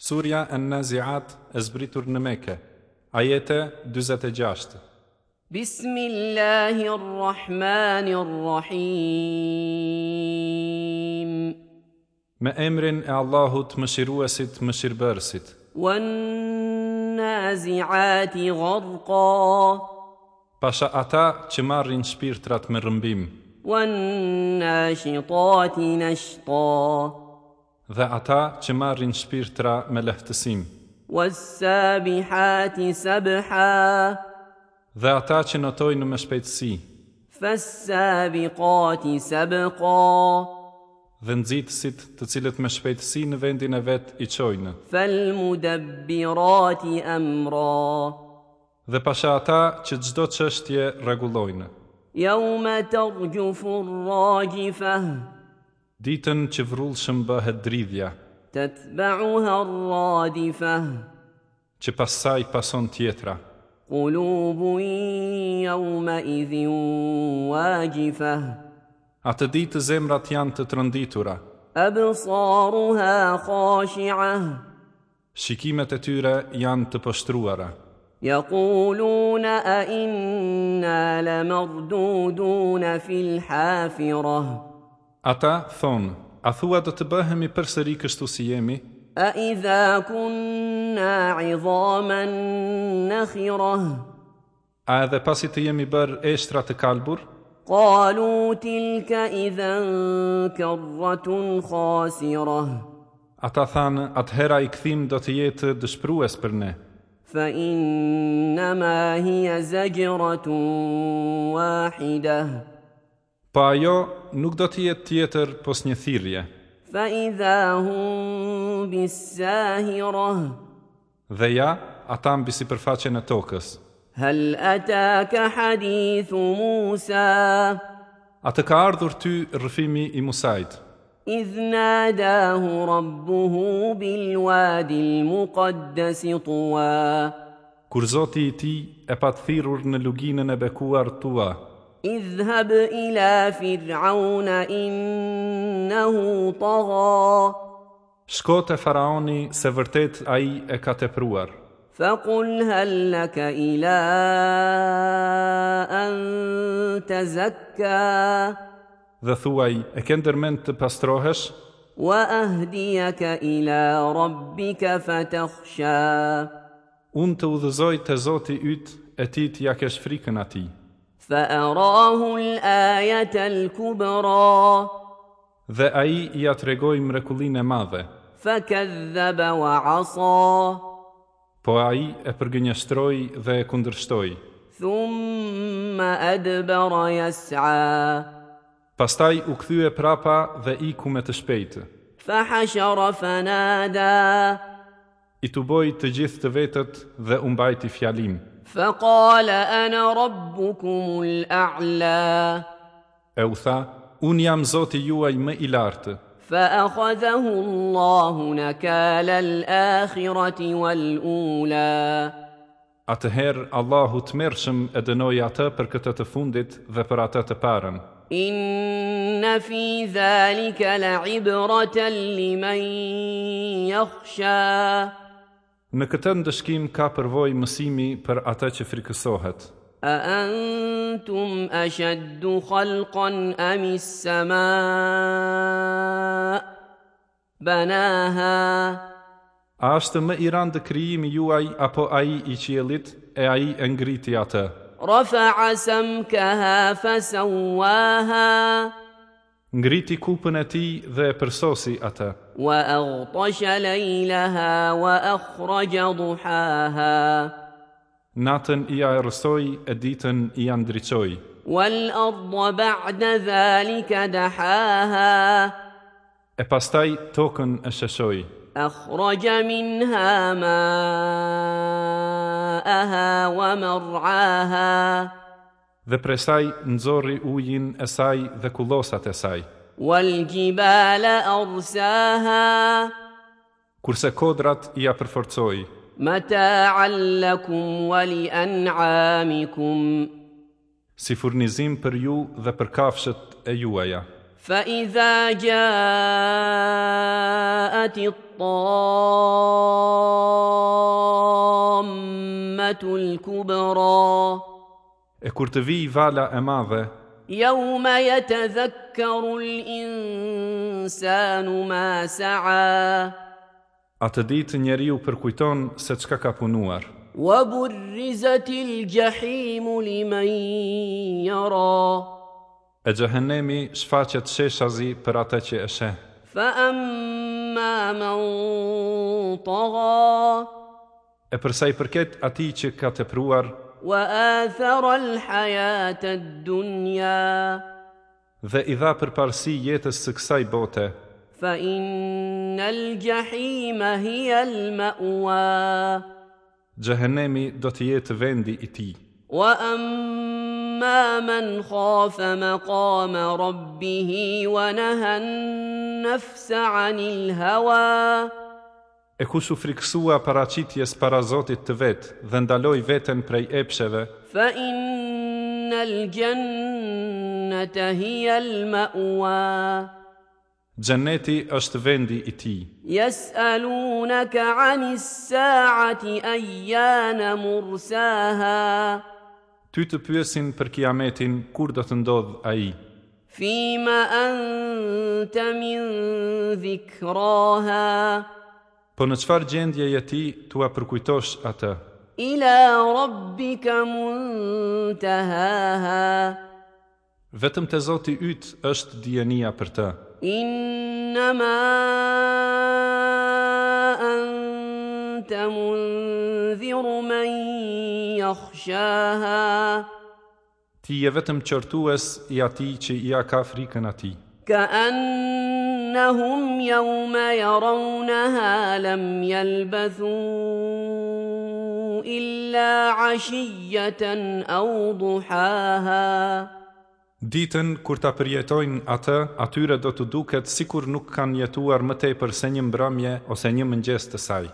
Surja En-Nazi'at e zbritur në Mekë, Ajete 46. Bismillahi Rrahmani Rrahim. Me emrin e Allahut Mëshiruesit Mëshirëbërësit. Wan-nazi'ati gharqa. Pasha ata që marrin shpirtrat me rrëmbim. Wan-nashitati nashta. Dhe ata që marrin shpirtra me lehtësim. Was-sabihati sabha. Dhe ata që notojnë me shpejtësi. Fas-sabiqati sabqa. Dhe nxitësit, të cilët me shpejtësi në vendin e vet i çojnë. Fal-mudabbirati amra. Dhe pasha ata që çdo çështje rregullojnë. Yawma tarjufu ar-rajifah. Ditën që vrullshëm bëhet dridhja. Tatba'uha ar-radifah. Që pas saj pason tjetra. Qulubun yawma idhin wajifah. Atë ditë zemrat janë të tronditura. Absaruha khashi'ah. Shikimet e tyre janë të poshtruara. Yaquluna a inna lamarduduna fil hafirah. Ata thonë, a thua do të bëhemi përsëri kështu si jemi? A idha kunna 'idhaman nakhirah. A edhe pasi të jemi bërë eshtra të kalbur? Qalu tilka idhan karratun khasirah. Ata thanë, atëherë ai kthim do të jetë dëshpërues për ne. Fa innama hiya zajratun wahidah. Po ajo nuk do të jetë tjetër pos një thirrje. Fa idha hum bis-sahirah. Dhe ja, ata mbi sipërfaqen e tokës. Hal ataka hadithu Musa. A të ka ardhur ty rrëfimi i Musait? Idh nadahu rabbuhu bil wadi al muqaddas tuwa. Kur Zoti i tij e pat thirrur në luginën e bekuar Tuwa. Idhhab ila fir'auna innahu tagha. Shko te Faraoni se vërtet ai e ka tepruar. Faqul hal laka ila an tazakka. Dhe thuaj, e ke ndërmend të pastrohesh? Wa ahdiyaka ila rabbika fatakhsha. Unë të udhëzoj te Zoti yt e ti t'ia kesh frikën atij. Fa arahu al-ayata al-kubra. Dhe ai ia tregoi mrekullinë e madhe. Fa kadhaba wa asa. Po ai e përgënjeshtroi dhe e kundërshtoi. Thumma adbara yas'a. Pastaj u kthye prapa dhe iku me të shpejtë. Fa hashara fa nada. I tuboi të gjithë të vetët dhe u mbajti fjalim. Fa qala ana rabbukumul a'la. E u tha, Unë jam Zoti juaj më i lartë. Fa akhadhahu Allahu nakala al-akhirati wal-ula. Atëherë Allahu tmerrshëm e dënoi atë për këtë të fundit dhe për atë të parën. Inna fi dhalika la'ibratan liman yakhsha. Në këtë ndëshkim ka përvojë mësimi për atë që frikësohet. A antum ashaddu khalqan am as-samaa Banaha. A është më i randë krijimi juaj apo ai i qiellit, e ai e ngriti atë? Rafa'a samkaha fasawaha. Ngriti kupën e tij dhe e përsosi atë. Wa aghtasha laylaha wa akhraja duhaha. Natën ia errësoi e ditën ia ndriçoi. Wal ardha ba'da dhalika dahaha. E pastaj tokën e sheshoi. Akhraja minha ma'aha wa mar'aha. Dhe prej saj nxorri ujin e saj dhe kullosat e saj. Wal jibala arsaha. Kurse kodrat ia përforcoi. Mata'an lakum wa li an'amikum. Si furnizim për ju dhe për kafshët e juaja. Fa idha ja'at. جاءت الطامة الكبرى E kur të vijë vala e madhe, يوم يتذكر الإنسان ما سعى Atë ditë njeriu përkujton se çka ka punuar. وبرزت الجحيم لمن يرى E xhehenemi shfaqet sheshazi për atë që e sheh. فأما من طغى E për sa i përket atij që ka tepruar وآثر الحياة الدنيا dhe i dha përparësi jetës së kësaj bote, فإن الجحيم هي المأوى Xhehenemi do të jetë vendi i tij. وأما من خاف مقام ربه ونهى النفس عن الهوى E kush u frikësua paraqitjes para Zotit të vet dhe ndaloi veten prej epsheve, فإن الجنة هي المأوى Xheneti është vendi i tij. يسألونك عن الساعة أيان مرساها Ty të pyesin për Kiametin kur do të ndodhë ai. فيم أنت من ذكراها Po në çfarë gjendje je ti t'ua përkujtosh atë? إلى ربك منتهاها Vetëm te Zoti yt është dijenia për të. إنما أنت منذر من يخشاها Ti je vetëm qortues i atij që ia ka frikën atij. كأنهم يوم يرونها لم يلبثوا إلا عشية أو ضحاها Ditën kur ta përjetojnë atë, atyre do t'u duket sikur nuk kanë jetuar më tepër se një mbrëmje ose një mëngjes të saj.